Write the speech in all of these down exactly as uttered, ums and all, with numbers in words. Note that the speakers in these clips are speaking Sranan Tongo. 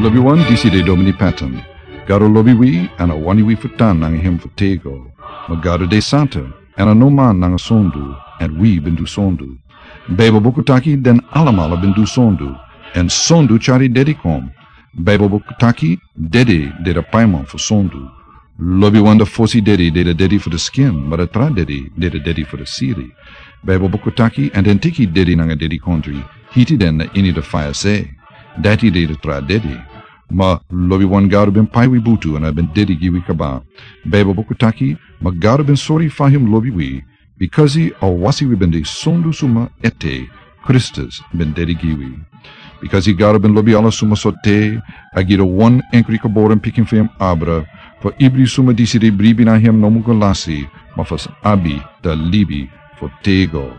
Lobiwan, disi de Domini Patton. Gado lobi wi, èn a wani wi fu tan nanga hem fu tego. Ma Gado de santa, èn a no man nanga sondu, èn wi ben du sondu. Baibel buku taki den alamala ben du sondu, èn sondu tyari dedi kon. Baibel buku taki dedi de a paiman fu sondu. Lobiwan, a fosi dedi de a dedi fu a skin, ma a tra dedi de a dedi fu a siri. Baibel buku taki, èn den teki dedi nanga dedikondre, hiti den na ini a faya se. Dati de a tra dedi. Ma lobiwan, Gado ben pai wi butu èn a ben dedi gi wi kaba. Baibel buku taki, ma Gado ben sori fa hem lobi wi, bikasi a wasi wi ben de sondu suma ete, Kristus ben dedi gi wi. Bikasi Gado ben lobi ala suma sortu, a gi a wan enkri geboren pikin fu hem abra, fu ibri suma disi de bribi na hem no mu go lasi, ma fu abi a libi fu tego.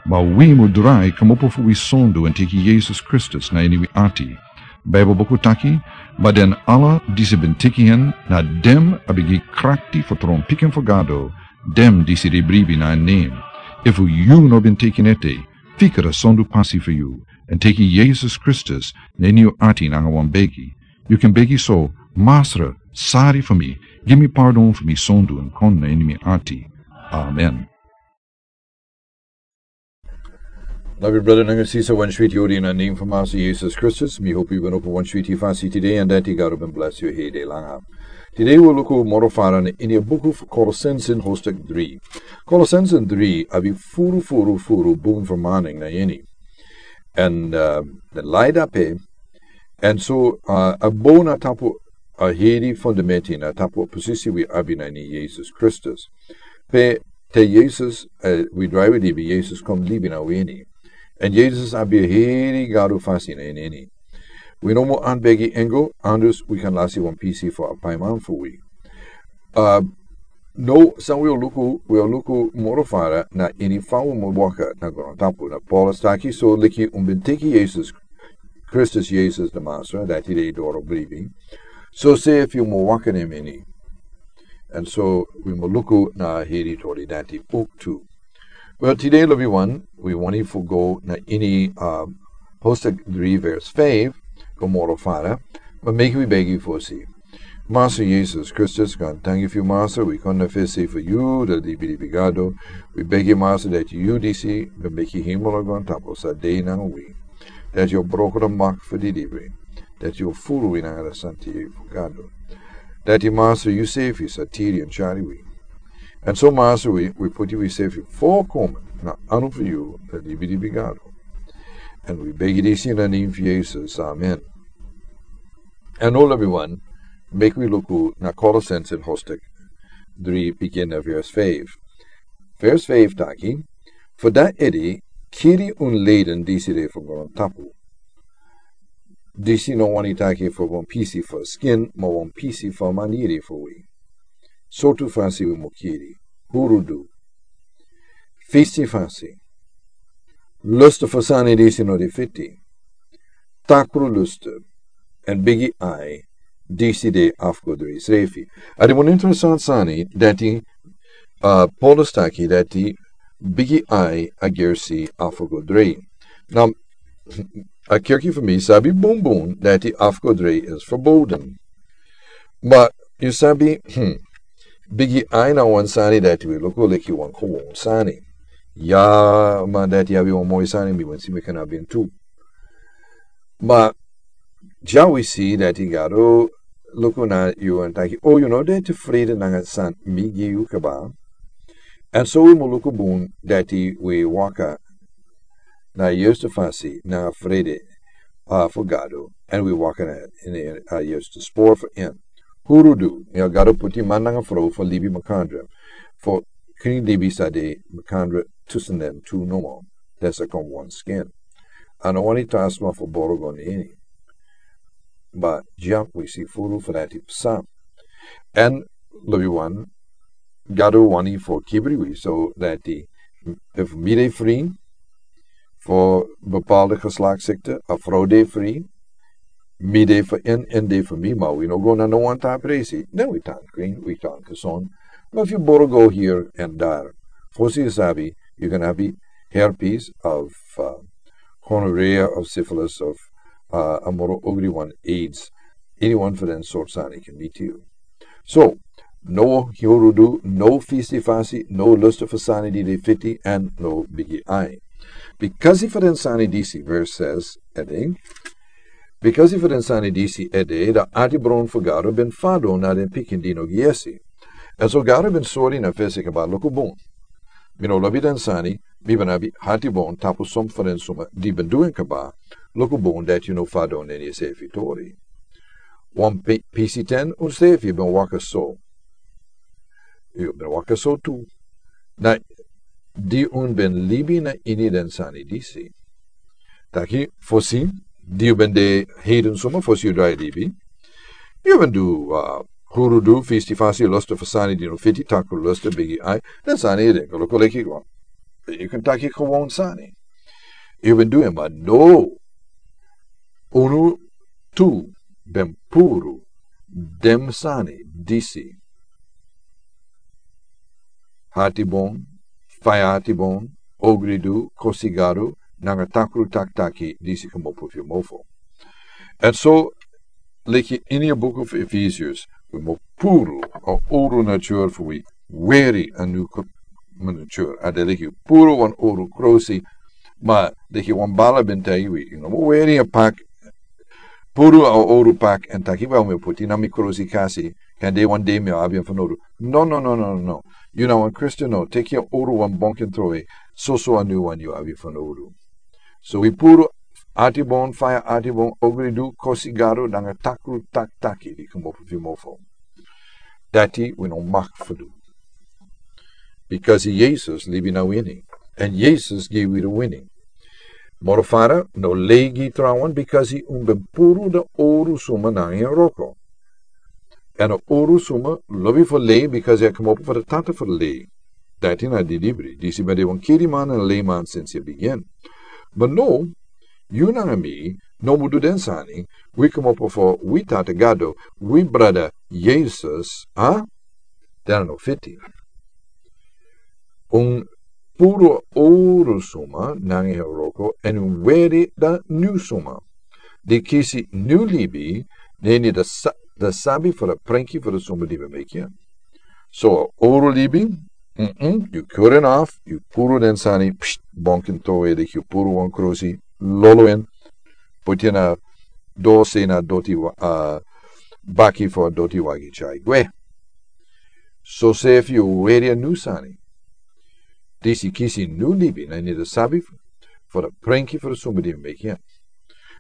Ma wi mu drai kmopo fu wi sondu èn teki Yesus Kristus na ini wi ati. Baibel buku taki, ma den ala disi ben teki hen, na den a ben gi krakti fu tron pikin fu Gado, den disi de bribi na en nen. Efu yu no ben teki en ete, fika a sondu pasi fu yu, èn teki Yesus Kristus na ini yu ati nanga wan begi. Yu kan begi so: Masra, sori fu mi, gi mi pardon fu mi sondu èn kon na ini mi ati. Amen. Lobi brada nanga sisa, wan switi odi na nen fu Masra Yesus Kristus. Mi hopi yu ben opo wan switi fasi tide, èn dati Gado ben bless yu hede langa. Tide wi luku moro fara na ini a buku fu Kolosense hoofdstuk dri. Kolosense dri abi furu, furu, furu bun fermaning na ini. Èn, uh, den lai dape, èn so, uh, a bou na tapu a heri fundamenti na tapu posisi wi abi na ini Yesus Kristus. Pe te Yesus, uh, wi drai wi libi, Yesus kon libi na wi ini. Èn Yesus abi a heri Gado fasi na ini. Wi no mu anbegi angel, anders wi kan lasi wan pisi fu a paiman fu wi. Uh, no, san wi o luku, wi o luku moro fara na ini fa wi mu waka na grontapu. Na Paulus taki, so leki un ben teki Yesus, Kristus Yesus na Masra, dati de doro bribi. So se efu yu mu waka na en ini. Èn so wi mu luku na heri tori dati uk tu. Well, tide lobiwan, wi wani fu go na ini, uh, hoofdstuk dri vers feifi, go moro fara, ma meki wi begi fosi. Masra Yesus Kristus, gaantangi fu yu Masra, wi kon na fesi fu yu, a libilibi Gado. Wi begi Masra dati yu disi ben meki hemel nanga grontapu, sa de nanga wi. Dati yu o broko a mak fu didibri. Dati yu o furu wi nanga a santi fu Gado. Dati Masra yu sefi sa tiri èn tyari wi. Èn so Masra wi, wi puti wi sefi folkomen na anu fu yu, a libilibi Gado. Èn wi begi disi na nen fu Yesus. Amen. Èn now lobiwan, meki wi luku na Kolosense hoofdstuk dri, bigin na vers feifi. Vers feifi taki, fu dati ede, kiri un leden disi de fu grontapu. Disi no wani taki fu wan pisi fu skin, ma wan pisi fu maniri fu wi. Sortu fasi wi mu kiri. Hurudu. Fisi fasi. Lustu fu sani disi no de fiti. Takru lustu. Èn bigi ai, disi de afgodri srefi. A de wan interesanti sani dati, uh, Paulus taki dati bigi ai a gersi afgodri. Now, a kerki fu mi sabi bunbun dati afgodri is verboden. Ma yu sabi, hmm, bigi ai na wan sani dati wi luku leki wan kowownu sani. Ya, ma dati abi wan moi sani, mi wani si mi kan abi en tu. Ma dya wi si dati Gado luku na yu èn taki, o, yu no de tefreden nanga san mi gi yu kaba. Èn so wi mu luku bun dati wi waka na a yerste fasi na a frede, uh, fu Gado, èn wi waka na ini a, uh, yerste spor fu en. Hurudu, mi o Gado puti man nanga frow fu libi makandra, fu krin libi sa de makandra tusun den tu nomo, den sa kon wan skin. A no wani tan sma fu boro go na ini. Ma dya wi si furu fu dati psa. Èn lobiwan, Gado wani fu kibri wi, so dati efu mi de fri fu bepaalde geslachtsziekte, a frow de fri, mi de fu en, en de fu mi, ma wi no go na no wan tra presi, dan wi tan krin, wi tan gezond. Ma efu yu boro go hier en daar, fosi yu sabi, yu kan abi herpes of, uh, gonorrhea of syphilis of, uh, a moro ogri wan, aids. Ini wan fu den sort sani kan miti yu. So, no hurudu, no fisti fasi, no lusta fu sani di de fiti, èn no bigi ai. Bikasi fu den sani disi, vers ses, ede. Bikasi fu den sani disi ede, dan ati bron fu Gado ben fadon na den pikin di no gi yesi. Èn so Gado ben sori na fesi kaba, luku bun. Mi no lobi den sani, mi ben abi ati bun tapu son fu den suma di ben du en kaba, luku bun dati yu no fadon neni sefi tori. Wan pe-, pisi ten un sefi ben waka so. Yu ben waka so tu. Na di un ben libi na ini den sani disi. Taki, fosi, di yu ben de heiden suma, fosi yu drai libi. Yu ben du, uh, hurudu, fisti fasi, lusta fu sani di no fiti, takru lusta, bigi ai, den sani ede, kolo koleki wan. Yu kan taki gewoon sani. Yu ben du en, ma no. Unu tu ben puru den sani disi. Ati bun, faya ati bun, ogridu, kosi Gado, nanga takru taktaki disi kmopo fu yu mofo. Èn so, leki ini a buku fu Efesius, wi mu puru a owru nature fu wi, weri a new co-, nature. A de leki puru wan owru krosi, ma leki wan bala ben taigi wi, yu no mu weri a pak, puru a owru pak, èn taki, wel, mi o poti na mi krosi kasi, kan de wan dei mi o abi en fanodu. No, no, no, no, no. Yu na wan Christian, no. Teki a owru wan, bon, kan trowe. Soso a new wan yu abi fanodu. So wi puru ati bun, faya ati bun, ogridu, kosi Gado, nanga takru taktaki di kmopo fu yu mofo. Dati wi no mag fu du. Bikasi Jesus libi na wini. Èn Jesus gi wi a wini. Moro fara, no lei gi trawan, bikasi un ben puru a owru suma nanga en wroko. Èn a owru suma lobi fu lei, bikasi a kmopo fu a tata fu lei. Dati na di libri, disi ben de wan kiriman èn a leiman sinsi a bigin. Ma no, yu nanga mi, no mu du den sani, wi kmopo fu wi Tata Gado, wi brada Jesus, a? Den a no fiti. Un puru a owru suma nanga en wroko, èn un weri a new suma. Di kisi new libi, neni a sa-, a sabi fu a prenki fu a suma di ben meki en. So, a owru libi, mm-mm, yu kuri en af, yu puru den sani, pst, bon, kan trowe, leki yu puru wan krosi, lolo en, poti en na dosi na doti wa-, a, baki fu a doti wagi tyari gwe. So sefi yu weri a new sani. Disi kisi new libi, neni a sabi fu a prenki fu a suma di meki en.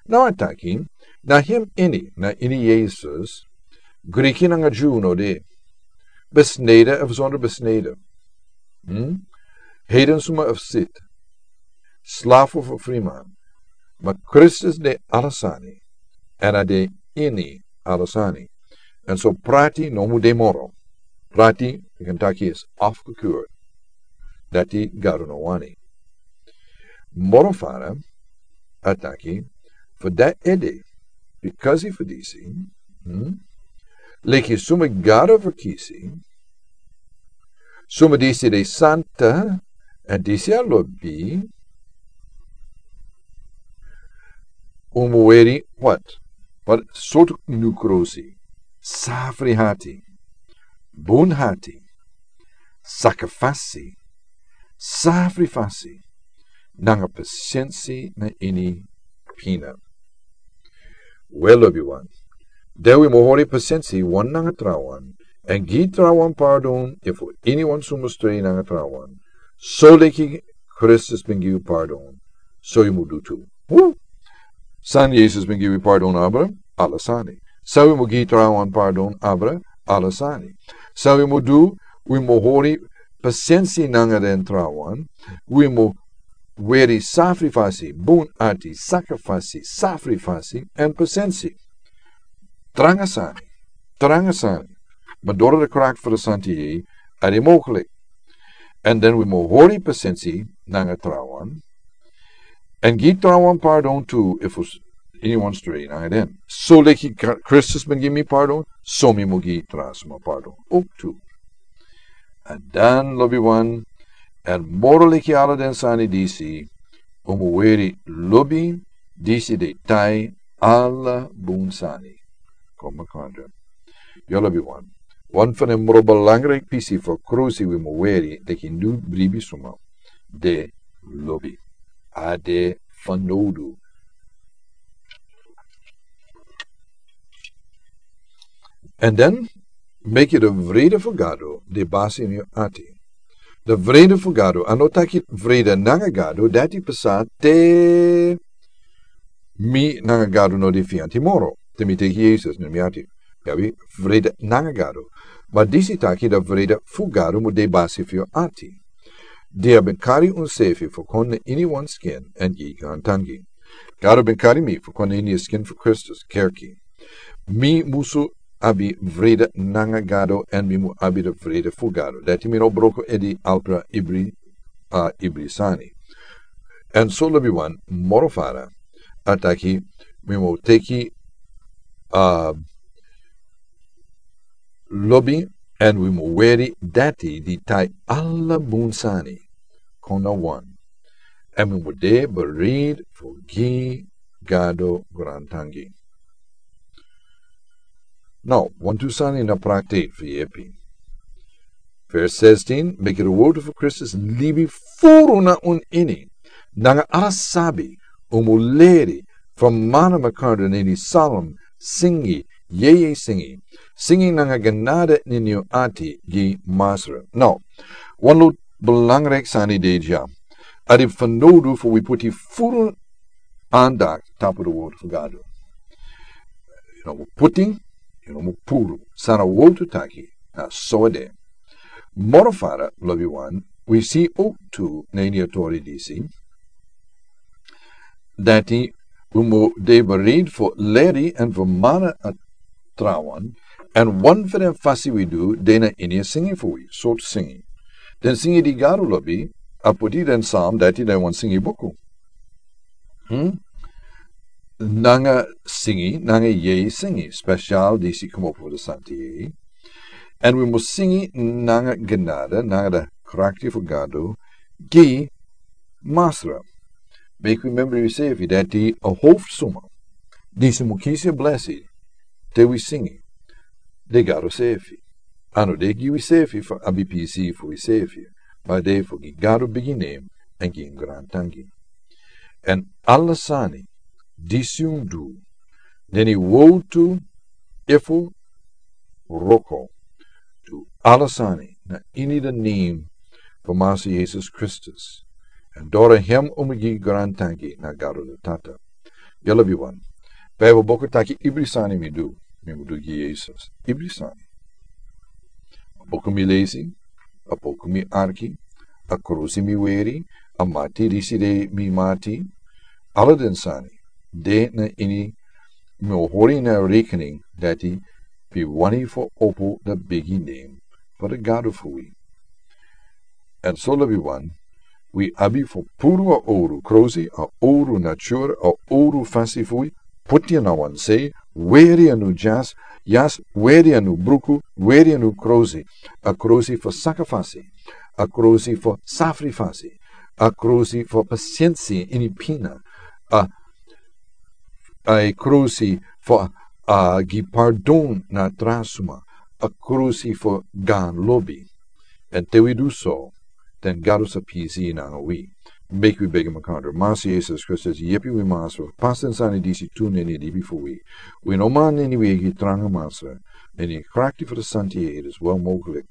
Now a taki, na hem ini, na ini Jesus, Griki nanga Dyu no de. Besneden of zonder besneden. Hmm? Heiden suma of sit. Slaaf of friman. Ma Christus de ala sani. Èn a de ini ala sani. Èn so prati no mu de moro. Prati, yu kan taki, is afgekeur. Dati Gado no wani. Moro fara, a taki, fu dati ede, bikasi fu disi, hmm? Leki suma Gado verkisi, suma disi de santa, èn disi a lobi, un mu weri, wat? Wat sortu new krosi? Safri hati, bun hati, sakafasi, safri fasi, nanga pasensi na ini pina. Wel, lobiwan, dan wi mu hori pasensi wan nanga trawan, èn gi trawan pardon, efu iniwan suma strei nanga trawan. So leki Christus ben gi wi pardon, so yu mu du tu. Wu! San Jesus ben gi wi pardon abra, ala sani. San wi mu gi trawan pardon abra, ala sani. San wi mu du, wi mu hori pasensi nanga den trawan, wi mu weri safri fasi, bun ati, sakafasi, safri fasi, èn pasensi. Tranga sani, tranga sani. Ma doro a krakt fu a Santi Gees, a de mogelijk. Èn dan wi mu hori pasensi nanga trawan. Èn gi trawan pardon tu, efu iniwan strei nanga den. So leki Kr-, Christus ben gi mi pardon, so mi mu gi tra suma pardon. Ook tu. Èn dan lobiwan, èn moro leki ala den sani disi, un mu weri lobi, disi de tai ala bun sani. kon makandra. Yu lobi wan. Wan fan en moro belangrijk pisi fu krosi wi mu weri, teki nu bribi suma. De lobi. A de fanowdu. En dan, meki de vrede fu Gado de basi ini yu ati. De vrede fu Gado, a no taki vrede nanga Gado, dati pasa te mi nanga Gado no de fianti moro. Te mi teki Yesus na mi ati. Mi abi vrede nanga Gado. Ma disi taki de vrede fu Gado mu de basi fu yu ati. Di a ben kari un sefi fu kon na ini wan skin en gi grantangi. Gado ben kari mi fu kon na ini a skin fu Kristus, kerki. Mi musu abi vrede nanga Gado, en mi mu abi de vrede fu Gado. Dati mi no broko edi alpra ibri, a ibri sani. En so lobi wan moro fara. A taki, mi mu teki, a lobi, en wi mu weri dati di tai ala bun sani. Kon na wan. En wi mu de bereid fu gi Gado grantangi. Now, wantu sani na praktik fu yepi. Vers zestien, meki de wortu fu Kristus libi furu na un ini. Nanga ala sabi, un mu leri, fermana makandra na ini salm, singi, yeye singi. Singi nanga genade na ini un ati gi Masra. Now, wan lot belangrijk sani de dya. A de fanowdu fu wi puti furu andak tapu de wortu fu Gado. Yu no mu puti, yu no mu puru. San a wortu taki, na so a de. Moro fara, lobi wan, wi si ook tu na ini a tori disi. Dati wi mu de bereid fu leri en fermana a trawan, en wan fu den fasi wi du, de na ini a singi fu wi, sortu singi. Den singi di Gado lobi, a puti den salm, dati den wan singi buku. Hmm? Nanga singi, nanga yeye singi, special disi komopo de santi yeye. En wi mu singi nanga genade, nanga de krakti fu Gado, gi Masra. Meki wi membri wi sefi dati a hofsuma. Disi mu kisi a blesi, te wi singi. De Gado sefi. A no de gi wi sefi fu abi pisi fu wi sefi. Ma de fu gi Gado bigi nem, en gi en grantangi. En ala sani, disi un du, na ini wortu, efu, wroko. Du ala sani na ini de nem fu Masra Yesus Kristus. En doro hem un mu gi grantangi na Gado de Tata. Yu lobi wan. Bijbel buku taki ibri sani mi du, mi mu du gi Yesus. Ibri sani. A buku mi lesi, a buku mi arki, a krusi mi weri, a mati disi de mi mati. Ala den sani de na ini mi o hori na rekening dati wi wani fu opo de bigi nem fu de Gado fu wi. En so lobi wan, wi abi fu puru a oru krusi, a oru nature, a oru fasi fu wi, puti na wan se, weri a nu yas, yas, weri a nu bruku, weri a nu krusi, a krusi fu sakrifisi, a krusi fu safrifisi, a krusi fu pasiensi ini pina, a a e krusi fu a gi pardon na tra suma, a krusi fu gan lobi. En te wi du so, den Gado sa pisi nanga wi. Meki wi begi makandra. Masra Yesus Kristus, yepi wi Masra, pasi den sani disi tu na ini libi fu wi. Wi no man ini wi e gi tranga Masra, na ini krakti fu de santi yeye, it is wel mogelijk.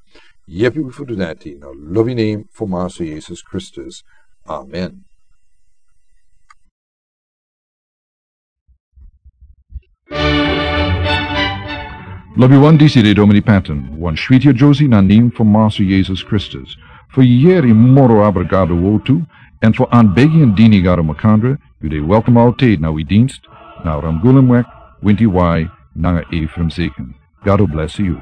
Yepi wi fu du dati, na lobi nem fu Masra Yesus Kristus. Amen. Lobi wan, disi de Domini Patton, wan switi a Josie na nem fu Masra Yesus Kristus. Fu yeri moro abra Gado wortu, en fu anbegi en dini Gado makandra, yu de welkom altijd na wi dienst, na Ramgulumweg, winti wai, nanga Ephraim Zeken. God bless you.